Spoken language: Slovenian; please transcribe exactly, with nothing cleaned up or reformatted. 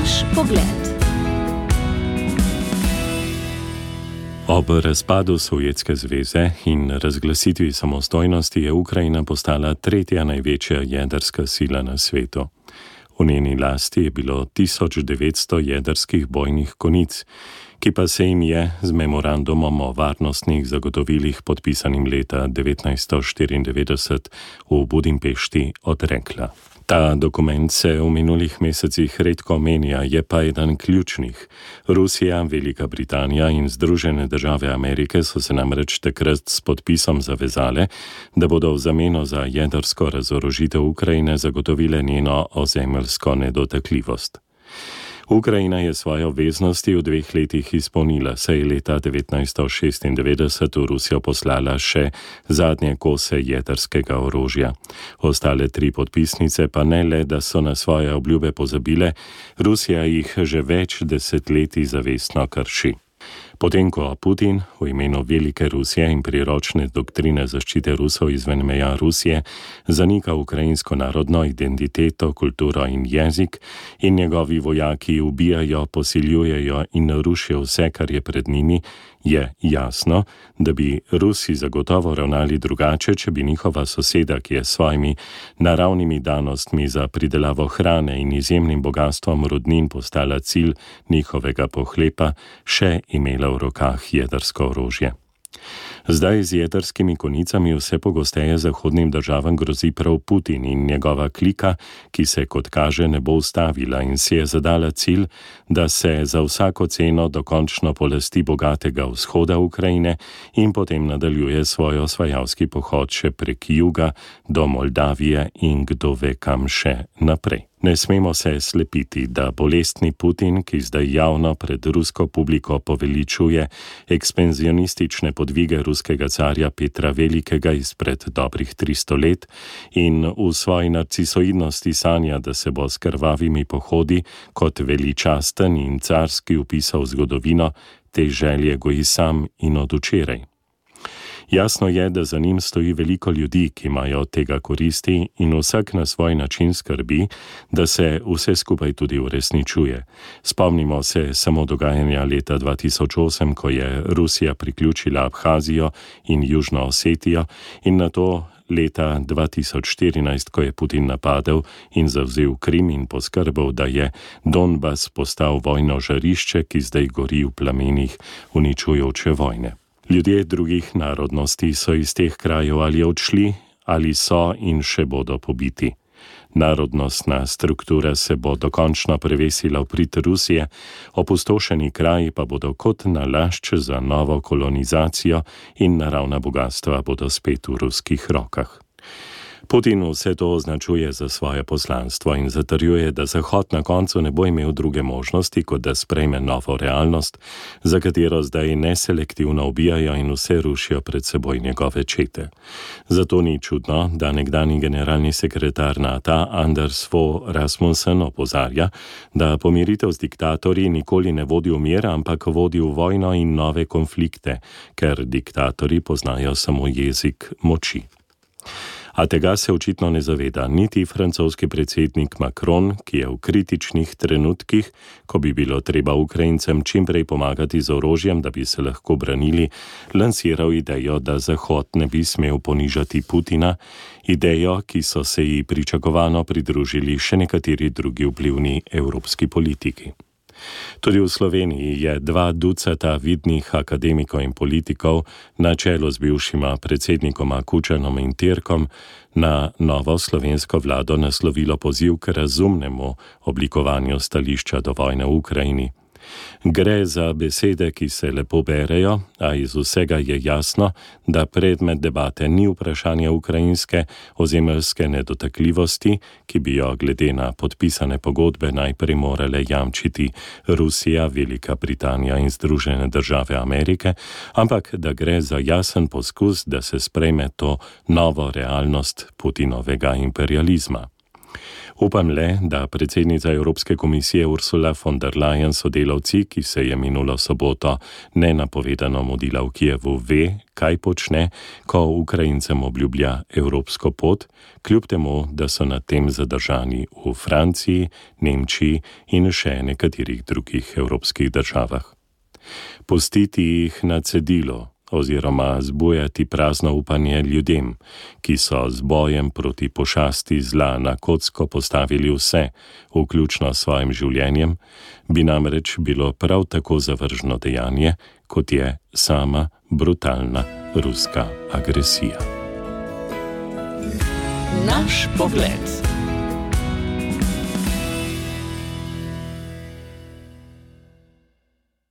Naš pogled. Ob razpadu Sovjetske zveze in razglasitvi samostojnosti je Ukrajina postala tretja največja jedrska sila na svetu. V njeni lasti je bilo tisoč devetsto jedrskih bojnih konic, ki pa se jim je z memorandumom o varnostnih zagotovilih podpisanim leta devetnajststo štiriindevetdeset v Budimpešti odrekla. Ta dokument se v minulih mesecih redko omenja, je pa eden ključnih. Rusija, Velika Britanija in Združene države Amerike so se namreč takrat s podpisom zavezale, da bodo v zameno za jedrsko razorožitev Ukrajine zagotovile njeno ozemeljsko nedotakljivost. Ukrajina je svoje obveznosti v dveh letih izpolnila, saj je leta devetnajststo šestindevetdeset v Rusijo poslala še zadnje kose jedrskega orožja. Ostale tri podpisnice pa ne le, da so na svoje obljube pozabile, Rusija jih že več desetletij zavestno krši. Potem, ko Putin v imenu Velike Rusije in priročne doktrine zaščite Rusov izven meja Rusije zanika ukrajinsko narodno identiteto, kulturo in jezik in njegovi vojaki ubijajo, posiljujejo in rušijo vse, kar je pred njimi, je jasno, da bi Rusi zagotovo ravnali drugače, če bi njihova soseda, ki je s svojimi naravnimi danostmi za pridelavo hrane in izjemnim bogastvom rudnin postala cilj njihovega pohlepa, še imela v rokah jedrsko orožje. Zdaj z jedrskimi konicami vse pogosteje zahodnim državam grozi prav Putin in njegova klika, ki se kot kaže ne bo ustavila in si je zadala cilj, da se za vsako ceno dokončno polasti bogatega vzhoda Ukrajine in potem nadaljuje svoj osvajalski pohod še prek juga do Moldavije in kdo ve kam še naprej. Ne smemo se slepiti, da bolestni Putin, ki zdaj javno pred rusko publiko poveličuje ekspanzionistične podvige ruskega carja Petra Velikega izpred dobrih tristo let in v svoji narcisoidnosti sanja, da se bo s krvavimi pohodi kot veličasten in carski vpisal v zgodovino, te želje goji sam in od včeraj. Jasno je, da za njim stoji veliko ljudi, ki imajo od tega koristi in vsak na svoj način skrbi, da se vse skupaj tudi uresničuje. Spomnimo se samo dogajanja leta dva tisoč osem, ko je Rusija priključila Abhazijo in Južno Osetijo in nato leta dva tisoč štirinajst, ko je Putin napadel in zavzel Krim in poskrbel, da je Donbas postal vojno žarišče, ki zdaj gori v plamenih uničujoče vojne. Ljudje drugih narodnosti so iz teh krajev ali odšli, ali so in še bodo pobiti. Narodnostna struktura se bo dokončno prevesila v prid Rusije, opustošeni kraji pa bodo kot nalašč za novo kolonizacijo in naravna bogatstva bodo spet v ruskih rokah. Putin vse to označuje za svoje poslanstvo in zatrjuje, da Zahod na koncu ne bo imel druge možnosti, kot da sprejme novo realnost, za katero zdaj neselektivno ubijajo in vse rušijo pred seboj njegove čete. Zato ni čudno, da nekdanji generalni sekretar NATO Anders Fogh Rasmussen opozarja, da pomiritev z diktatorji nikoli ne vodi v mir, ampak vodi v vojno in nove konflikte, ker diktatorji poznajo samo jezik moči. A tega se očitno ne zaveda niti francoski predsednik Macron, ki je v kritičnih trenutkih, ko bi bilo treba Ukrajincem čimprej pomagati z orožjem, da bi se lahko branili, lansiral idejo, da Zahod ne bi smel ponižati Putina, idejo, ki so se ji pričakovano pridružili še nekateri drugi vplivni evropski politiki. Tudi v Sloveniji je dva ducata vidnih akademikov in politikov na čelu z bivšima predsednikoma Kučanom in Tirkom na novo slovensko vlado naslovilo poziv k razumnemu oblikovanju stališča do vojne v Ukrajini. Gre za besede, ki se lepo berejo, a iz vsega je jasno, da predmet debate ni vprašanje ukrajinske ozemeljske nedotakljivosti, ki bi jo glede na podpisane pogodbe najprej morale jamčiti Rusija, Velika Britanija in Združene države Amerike, ampak da gre za jasen poskus, da se sprejme to novo realnost Putinovega imperializma. Upam le, da predsednica Evropske komisije Ursula von der Leyen sodelavci, ki se je minulo soboto nenapovedano mudila v Kijevu, ve, kaj počne, ko Ukrajincem obljublja evropsko pot, kljub temu, da so nad tem zadržani v Franciji, Nemčiji in še nekaterih drugih evropskih državah. Pustiti jih na cedilu oziroma zbujati prazno upanje ljudem, ki so z bojem proti pošasti zla na kocko postavili vse, vključno s svojim življenjem, bi namreč bilo prav tako zavržno dejanje, kot je sama brutalna ruska agresija. Naš pogled.